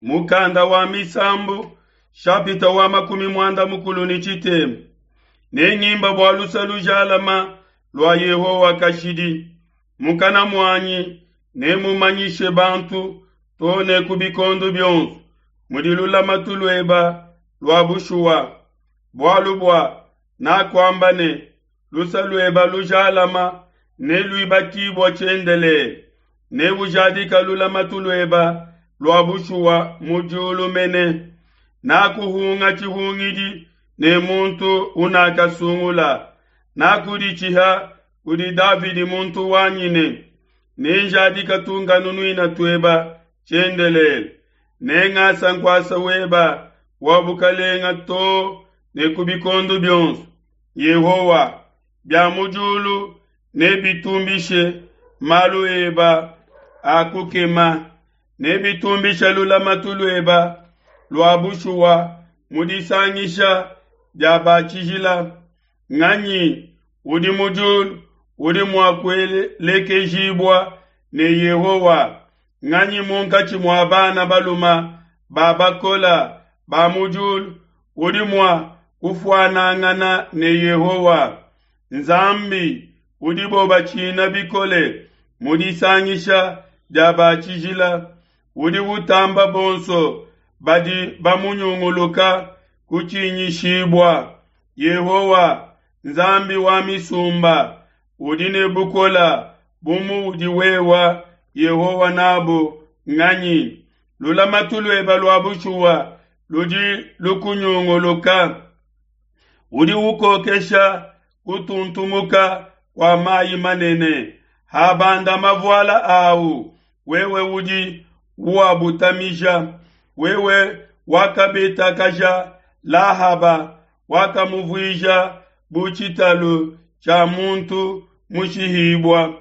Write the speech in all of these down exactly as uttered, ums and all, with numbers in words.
Mukanda wa Misambu, shapita wa makumi muanda mukulu ne tshitema. Nengimba bua luse lujalama lua Yehowa kashidi. Mukana muanyi nemumanyishe bantu too ne ku bikondo bionso mudi lulamatu lueba lua bushuwa. Bualu bua nakuamba ne, luse lueba lujalama neluibakibua tshiendelele, neujadika lulamatu lueba lua bushuwa mu diulu mene. Nakuhunga tshihungidi ne muntu unakasungula, nakuditshiha kudi Davidi muntu wanyi ne, nenjadika tunkanunuina tueba tshiendelele, nengasa nkuasa weba wa bukalenga too ne ku bikondo bionso. Yehowa, bia mu diulu nebitumbishe malu eba a kukema, nebitumbishe lulamatu lueba lua bushuwa mu disangisha dia ba tshijila. Nganyi udi mu diulu udi mua kuelekejibua ne Yehowa? Nganyi munkatshi mua bana baluma ba bakola ba mu diulu udi mua kufuanangana ne Yehowa? Nzambi udibo batshina bikole mu disangisha dia ba tshijila, udi utamba bonso badi bamunyunguluka kutshinyishibua. Yehowa, Nzambi wa misumba, udi ne bukola bu muudi wewa Yehowa nabu nganyi? Lulamatu lueba lua bushuwa ludi lukunyunguluka, udi ukokesha kutuntumuka kua mayi manene. Habanda mavuala awu, wewe udi uabutamija. Wewe wakabetakaja Lahaba, wakamuvuija bu tshitalu tshia muntu mushihibua,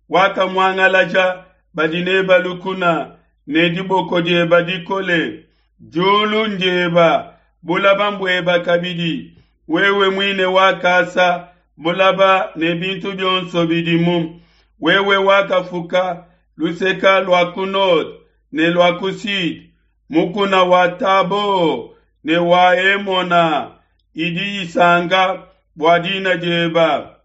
wakamuangalaja badi neba lukuna ne diboko dieba dikole. Diulu ndieba, bulaba mbueba kabidi, wewe muine wakasa bulaba ne bintu bionso bidimu. Wewe wakafuka luseka lua ku nord ne lua ku sud, mukuna wa Tabo ne wa Hemona idi isanka bua dina dieba.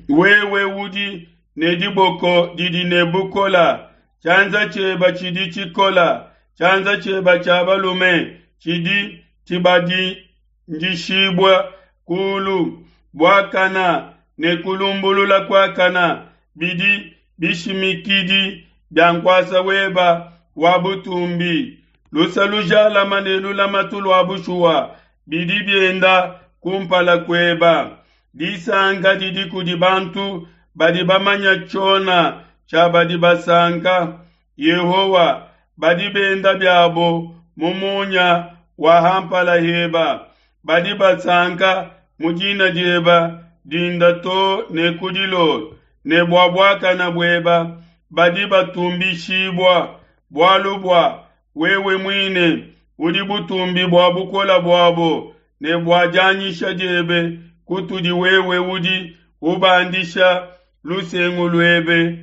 Wewe udi ne diboko didi ne bukola, tshianza tshieba tshidi tshikola, tshianza tshieba tshia balume tshidi tshibandishibua kulu. Buakana ne kulumbulula kuakana bidi bishimikidi bia nkuasa weba wa butumbi. Luse lujalama ne lulamatu lua bushuwa bidi bienda kumpala kueba. Disanka didi kudi bantu badi bamanya tshiona tshia badi basanka. Yehowa, badi benda biabo mu munya wa hampala heba, badi basanka mu dina dieba dinda too ne ku dilolo, ne bua buakana bueba badi batumbishibua, bualu bua wewe muine udi butumbi bua bukola buabo, ne bua dianyisha diebe kutudi wewe udi ubandisha lusengu luebe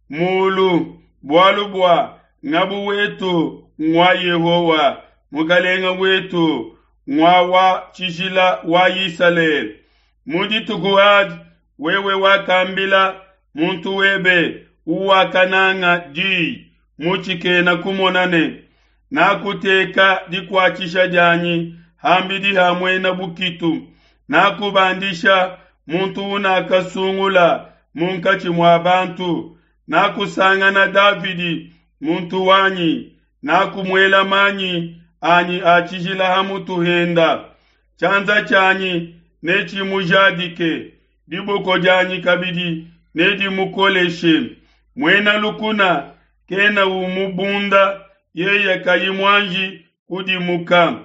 mulu, bualu bua ngabu wetu ngua Yehowa, mukalenga wetu ngua wa tshijila wa Isalele. Mu dituku adi wewe wakambila muntu webe uwakananga diyi mu tshikena kumona ne, nakuteka dikuatshisha dianyi hambidi ha muena bukitu, nakubandisha muntu unakasungula munkatshi mua bantu, nakusangana Davidi muntu wanyi, nakumuela manyi anyi a tshijila ha mutu henda. Tshianza tshianyi netshimujadike, diboko dianyi kabidi nedimukoleshe. Muena lukuna kena umubunda yeye kayi muanji kudimuka.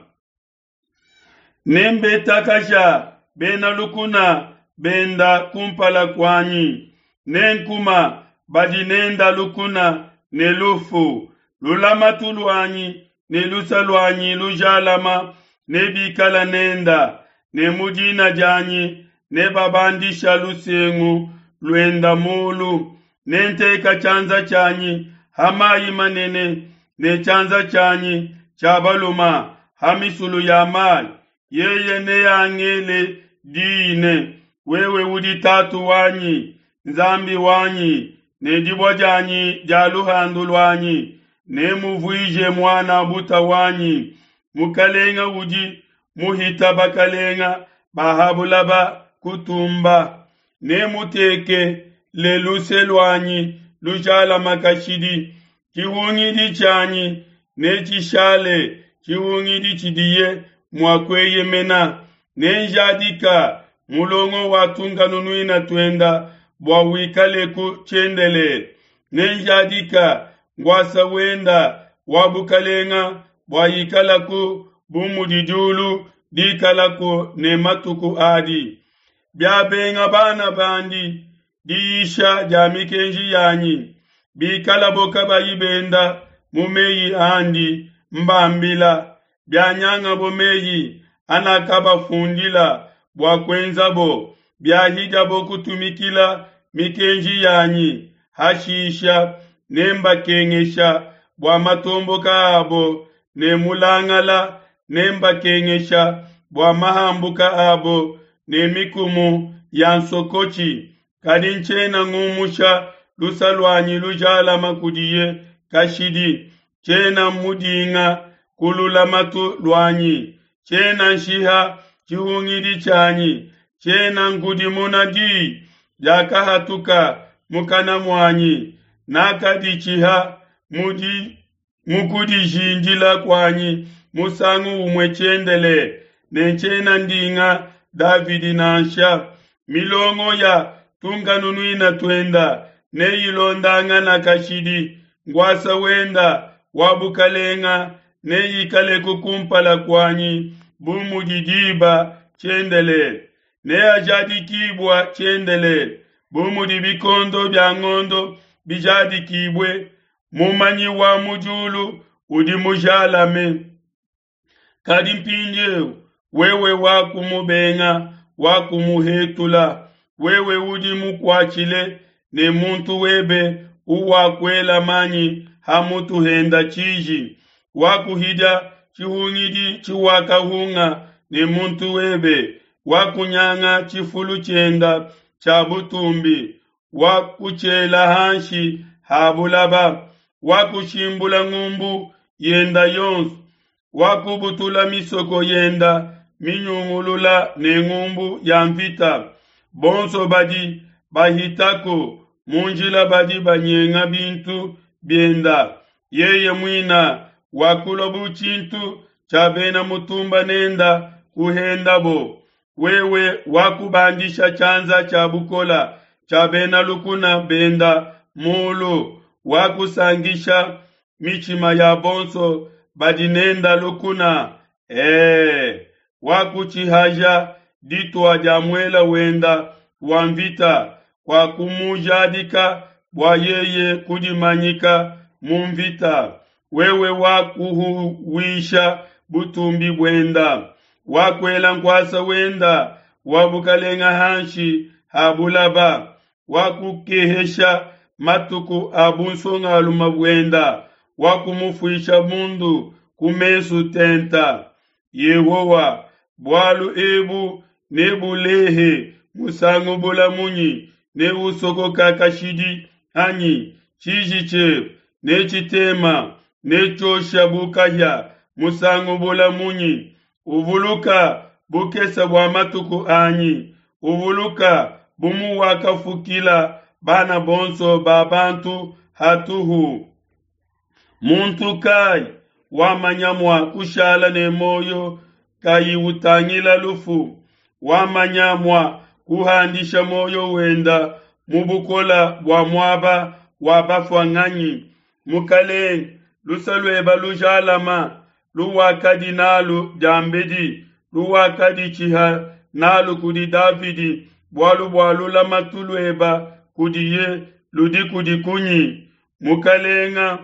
Nembetakasha bena lukuna benda kumpala kuanyi, nenkuma badi nenda lukuna ne lufu. Lulamatu luanyi ne luse luanyi lujalama nebikala nenda, ne mu dina dianyi nebabandisha lusengu luenda mulu. Nenteka tshianza tshianyi ha mayi manene, ne tshianza tshianyi tshia baluma ha misulu ya mai. Yeye neangele di ne, wewe udi tatu wanyi, Nzambi wanyi, ne dibua dianyi dia luhandu luanyi. Nemuvuije muana buta wanyi, mukalenga udi muhita bakalenga ba ha bulaba kutumba. Nemuteke le luse luanyi lujalama kashidi, tshihungidi tshianyi netshishale tshihungidi tshidiye mua kueyemena. Nenjadika mulongo wa tunkanunuina tuenda bua wikaleku tshiendelele. Nenjadika ngwasa wenda wa bukalenga bua ikalaku bu mudi diulu dikalaku ne matuku adi. Biabenga bana bandi diyisha dia mikenji yanyi, bikalabo kabayi benda mu meyi andi mbambila, bianyangabo meyi anakabafundila bua kuenzabo, biahidiabo kutumikila mikenji yanyi, hashisha nembakengesha bua matomboka abo ne mulangala, nembakengesha bua mahambuka abo ne mikumu ya nsokotshi. Kadi ntshiena ngumusha lusa luanyi lujalama kudiye kashidi, tshiena mudinga ku lulamatu luanyi, tshiena nshiha tshihungidi tshianyi, tshiena nkudimuna di diakahatuka mukana muanyi. Nakaditshiha mu kudijindila kuanyi musangu umue tshiendelele, ne tshiena ndinga Davidi nansha. Milongo ya tunkanunuina tuenda neyilondangana kashidi, ngwasa wenda wa bukalenga neyikaleku kumpala kuanyi bu mudi diba tshiendelele. Neajadikibua tshiendelele bu mudi bikondo bia ngondo bijadikibue. Mumanyi wa mu diulu udi mujalame. Kadi mpindieu wewe wakumubenga, wakumuhetula, wewe udi mukuatshile ne muntu webe uwakuela manyi ha mutu henda tshiji, wakuhidia tshihungidi tshiwakahunga ne muntu webe, wakunyanga tshifulu tshienda tshia butumbi, wakutshiela hanshi ha bulaba, wakushimbula ngumbu yenda yonso, wakubutula misoko yenda minyungulula ne ngumbu ya mvita. Bonso badi bahitako mu njila badi banyenga bintu bienda. Yeye muina wakulua bu tshintu tshia bena mutumba nenda kuhendabo. Wewe wakubandisha tshianza tshia bukola tshia bena lukuna benda mulu, wakusangisha mitshima ya bonso badi nenda lukuna. Eh, wakutshihaja ditua dia muela wenda wa mvita, kwa kumujadika bua yeye kudimanyika mu mvita. Wewe wakuhuwisha butumbi buenda, wakuela nkuasa wenda wa bukalenga hanshi ha bulaba, wakukehesha matuku a bunsongalume buenda, wakumufuisha bundu ku mesu tenta. Yehowa, bualu ebu nebulehe musangu bula munyi, neusokoka kashidi anyi? Tshiji tshiebe netshitema netshiosha bu kahia musangu bula munyi? Uvuluka bukese bua matuku anyi, uvuluka bu muwakafukila bana bonso ba bantu hatuhu. Muntu kai wamanya mua kushala ne muoyo kayi utangila lufu? Wamanya mua kuhandisha muoyo wenda mu bukola bua muaba wa bafua nganyi? Mukalenge, lusa lueba lujalama luwakadi nalu diambedi, luwakaditshiha nalu kudi Davidi, bualu bua lulamatu lueba kudiye ludi kudi kunyi? Mukalenga,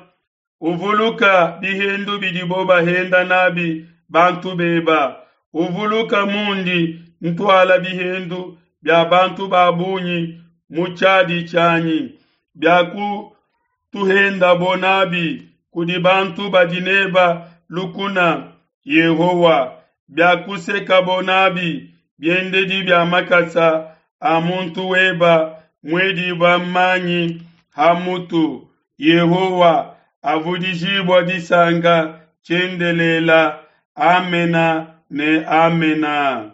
uvuluka bihendu bidibo bahenda nabi bantu beba, uvuluka mundi ntuala bihendu bia bantu ba bungi mu tshiadi tshianyi, bia kutuhendabo nabi kudi bantu badi neba lukuna, Yehowa, biakusekabo nabi biendedi bia makasa a muntu weba muedibua manyi ha mutu. Yehowa avudijibua disanka tshiendelela. Amena ne Amena.